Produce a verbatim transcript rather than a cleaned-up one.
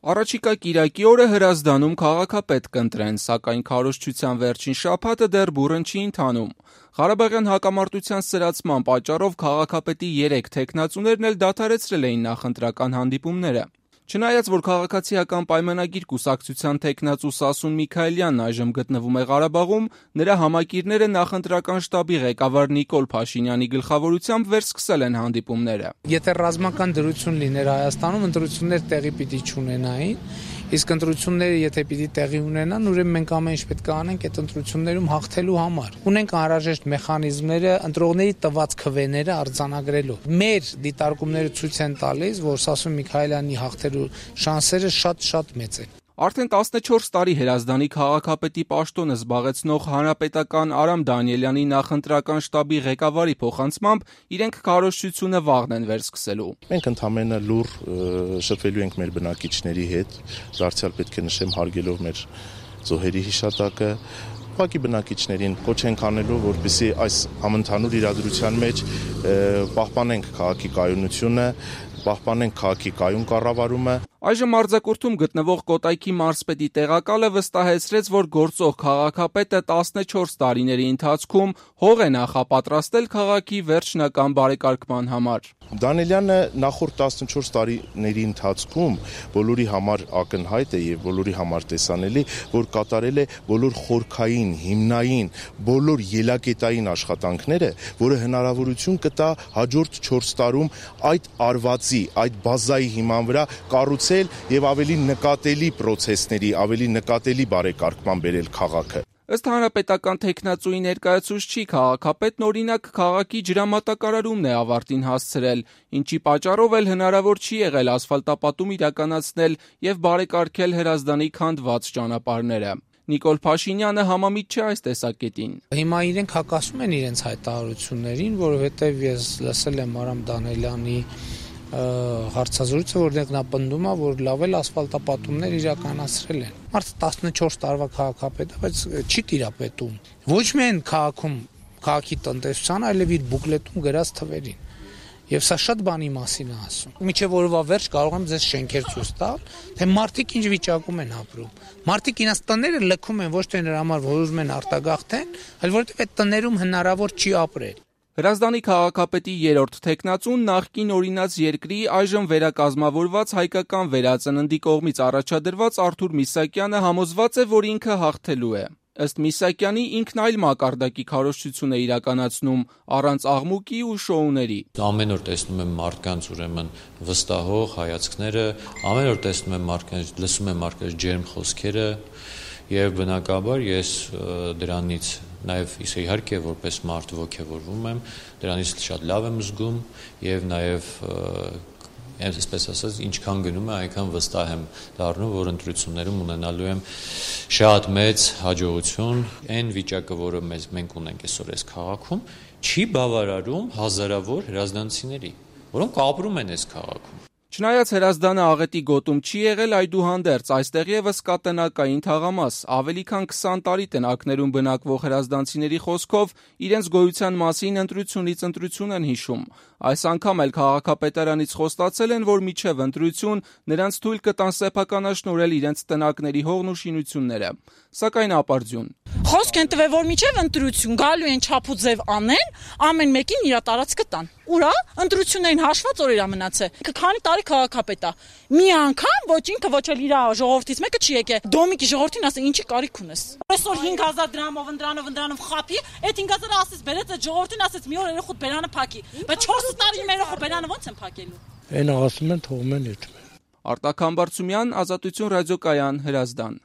Առաջիկա կիրակի օրը Հրազդանում քաղաքապետ կընտրեն, սակայն քարոզչության վերջին շաբաթը դեռ բուռն չի ընթանում։ Ղարաբաղյան հակամարտության սրացման պատճառով քաղաքապետի երեք թեկնածուներն էլ դադարեցրել էին նախընտրական հանդիպումները։ Չնայած որ քաղաքացիական պայմանագիր կուսակցության թեկնածու Սասուն Միքայելյանն այժմ գտնվում է Ղարաբաղում, նրա համակիրները նախընտրական շտաբի ղեկավար Նիկոլ Փաշինյանի գլխավորությամբ վերսկսել են հանդիպումները։ Եթե ռազմական դրություն լիներ Հայաստանում, ընտրություններ տեղի պիտի չունենային, իսկ ընտրությունները եթե պիտի տեղի ունենան, ուրեմն մենք ամեն ինչ պետք է անենք այդ ընտրություններում հաղթելու համար։ Ունենք անհրաժեշտ մեխանիզմները, ընտրողների տված քվեները արձանագրելու։ Մեր դիտարկումները ցույց են տալիս, որ Սասուն Միքայելյանի հաղթելու շանսերը շատ-շատ մեծ են։ Արդեն տասնչորս տարի Հրազդանի քաղաքապետի պաշտոնը զբաղեցնող հանրապետական Արամ Դանիելյանի նախընտրական շտաբի ղեկավարի փոխանցմամբ իրենք քարոզչությունը վաղն են վերսկսելու։ Մենք ընդհանրապես լուր շփվելու ենք մեր բնակիչների հետ, դարձյալ պետք է նշեմ հարգելով մեր զոհերի հիշատակը, ուղղակի բնակիչներին կոչ ենք անելու, որպեսզի այս համընդհանուր իրադրության մեջ պահպանենք քաղաքի կայունությունը, պահպանենք քաղաքի կայուն կառավարումը։ Այժմ Արձակուրդում գտնվող Կոտայքի մարզպետի տեղակալը վստահեցրեց, որ գործող քաղաքապետը տասնչորս տարիների ընթացքում հող է նախապատրաստել քաղաքի վերջնական բարեկարգման համար։ Դանիելյանը նախորդ տասնչորս տարիների ընթացքում բոլորի համար ակնհայտ է եւ բոլորի համար տեսանելի, որ կատարել է բոլոր խորքային, հիմնային, բոլոր ելակետային աշխատանքները, որը հնարավորություն կտա հաջորդ չորս տարում այդ արվածի, այդ բազայի հիման վրա կառուցել եւ ավելի նկատելի պրոցեսների, ավելի նկատելի բարեկարգման բերել քաղաքը։ Ըստ հանրապետական թեկնածուի ներկայացուցչի, քաղաքապետն օրինակ քաղաքի ջրամատակարարումն է ավարտին հասցրել, ինչի պատճառով էլ հնարավոր չի եղել ասֆալտապատում իրականացնել եւ բարեկարգել Հրազդանի քանդված ճանապարհները։ Նիկոլ Փաշինյանը համամիտ չէ այս տեսակետին։ Հիմա իրենք հակասում են իրենց հայտարարություններին, որովհետեւ ես լսել եմ Արամ Դանիելյանի հարցազրույցը, որտեղ նա պնդում է, որ լավ էլ ասֆալտապատումներ իրականացրել են։ Մարդը տասնչորս տարվա քաղաքապետ է, բայց չի տիրապետում ոչ միայն քաղաքում, քաղաքի տնտեսության, այլև իր բուկլետում գրած թվերին։ Եվ սա շատ բանի մասին է ասում։ Մինչև օրվա վերջ կարող եմ ձեզ շենքեր ցույց տալ, թե մարդիկ ինչ վիճակում են ապրում։ Մարդիկ իրենց տները լքում են ոչ թե նրա համար, որ ուզում են արտագաղթեն, այլ որովհետև այդ տներում հնարավոր չի ապրել։ Հրազդանի քաղաքապետի երրորդ թեկնածուն նախկին օրինաց երկրի այժմ վերակազմավորված հայկական վերածննդի կողմից առաջադրված Արթուր Միսակյանը համոզված է, որ ինքը հաղթելու է։ Ըստ Միսակյանի ինքն այլ մակարդակի քարոզչություն է իրականացնում առանց աղմուկի ու շոուների։ Ամեն օր տեսնում եմ մարդկանց ուրեմն վստահող հայացքները, ամեն օր տեսնում եմ մարդկանց, լսում եմ մարդկանց ջերմ խոսքերը եւ բնականաբար ես դրանից նաև իսկ իհարկե որպես մարդ ոգևորվում եմ, դրանից շատ լավ եմ զգում եւ նաև այսպես ասած ինչքան գնում է, այնքան վստահ եմ դառնում, որ ընտրություններում ունենալու եմ շատ մեծ հաջողություն։ Այն վիճակը, որը մեզ մենք ունենք այսօր այս քաղաքում, չի բավարարում հազարավոր հրազդանցիների, որոնք ապրում են այս քաղաքում։ Չնայած Հրազդանը աղետի գոտում չի եղել, այդուհանդերձ այստեղ եւս կա տնակային թաղամաս։ Ավելի քան քսան տարի տնակներում բնակվող հրազդանցիների խոսքով իրենց գոյության մասին ընտրությունից ընտրություն են հիշում։ Այս անգամ էլ քաղաքապետարանից խոստացել են, որ մինչև ընտրություն նրանց թույլ կտան սեփականաշնորհել իրենց տնակների հողն ու շինությունները։ Սակայն ապարդյուն։ Խոսք են տվել, որ մինչև ընտրություն գալու են չափուձև անեն, ամեն մեկին իր տարածքը տան։ Ուրա, ընտրություններին հաշված օրեր մնացել։ Քանի տարի քաղաքապետ է։ Մի անգամ ոչ ինքը ոչ էլ իր ժողովրդից մեկը չի եկել։ Դոմիկի ժողովրդին ասել, ինչի կարիք ունես։ Այսօր հինգ հազար դրամով ընդրանով ընդրանով խափի, այդ հինգ հազարը ասես բերեց այդ ժողովրդին ասեց մի օր երեխուդ բերանը փակի։ Բայց չորս տարի մեր երեխու բերանը ո՞նց են փակելու։ Այն ասում են թողում են այդ։ Արտակ Համբարձումյան, Ազատություն ռադիոկայան, Հրազդան։